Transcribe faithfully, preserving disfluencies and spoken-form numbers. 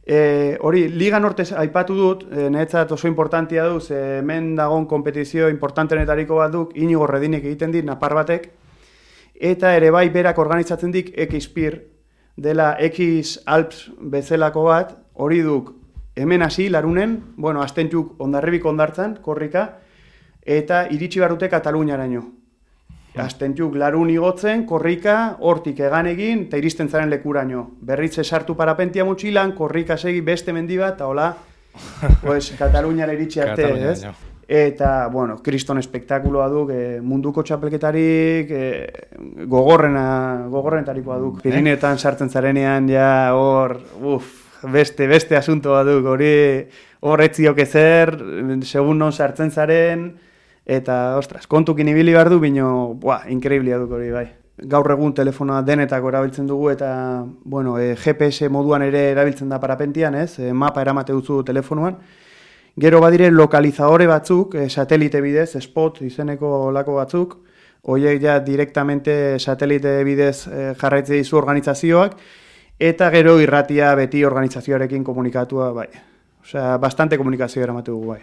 E, hori, Liga Norte aipatu dut, e, niretzat oso importantia du, ze hemen dagoen kompetizio importantenetariko bat duk, Inigo Redinek egiten dit, napar batek, eta ere bai berak organizatzen dik X-Pir, dela X Alps bezalako bat, hori duk, hemen hasi, larunen, bueno, astentuk ondarribik ondartzan, korrika, eta iritsi barute Kataluniaraino. Astentuk larun igotzen, korrika, hortik egan egin, eta iristen zaren lekuraino. Berriz esartu parapentia mutxilan, korrika segi beste mendi bat, eta hola, pues, Kataluniara iritsi arte, ez? Eta, bueno, kriston espektakuloa duk, e, munduko txapelketarik e, gogorrena, gogorrenetarikoa duk. Pirinetan sartzen zarenean, ja, hor, uff, beste, beste asuntoa duk, hori hor etziok ezer, segun non sartzen zaren, eta, ostras, kontukin ibili behar du, bino, buah, inkreiblia duk hori, bai. Gaur egun telefonoa denetako erabiltzen dugu, eta, bueno, e, G P S moduan ere erabiltzen da parapentian, ez? E, mapa eramate duzu telefonoan. Gero badire lokalizadore batzuk, e, satelite bidez, spot izeneko lako batzuk, horiek ja direktamente satelite bidez e, jarraitze dizu organizazioak, eta gero irratia beti organizazioarekin komunikatua, bai. Osea, bastante komunikazio eramate dugu, bai.